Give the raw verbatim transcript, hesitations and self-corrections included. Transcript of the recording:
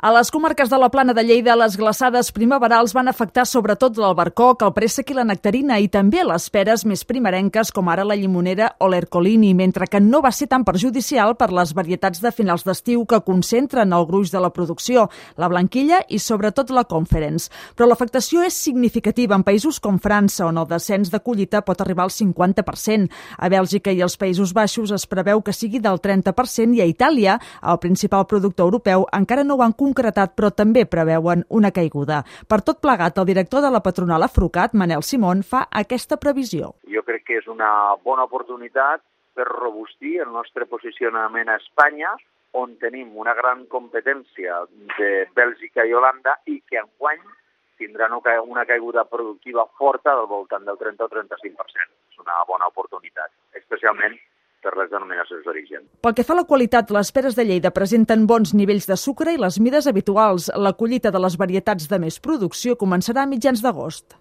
A les comarques de la Plana de Lleida, les glaçades primaverals van afectar sobretot l'albercoc, el préssec i la nectarina i també les peres més primerenques com ara la llimonera o l'ercolini, mentre que no va ser tan perjudicial per les varietats de finals d'estiu que concentren el gruix de la producció, la blanquilla i sobretot la Conference. Però l'afectació és significativa en països com França, on el descens de collita pot arribar al cinquanta per cent. A Bèlgica i els Països Baixos es preveu que sigui del trenta per cent i a Itàlia, el principal productor europeu, encara no ho han concretat, però també preveuen una caiguda. Per tot plegat, el director de la patronal Afrucat, Manel Simón, fa aquesta previsió. Jo crec que és una bona oportunitat per robustir el nostre posicionament a Espanya, on tenim una gran competència de Bèlgica i Holanda i que enguany tindran una caiguda productiva forta del voltant del trenta o trenta-cinc per cent. És una bona oportunitat, especialment per les denominacions d'origen. Pel que fa a la qualitat, les peres de Lleida presenten bons nivells de sucre i les mides habituals. La collita de les varietats de més producció començarà a mitjans d'agost.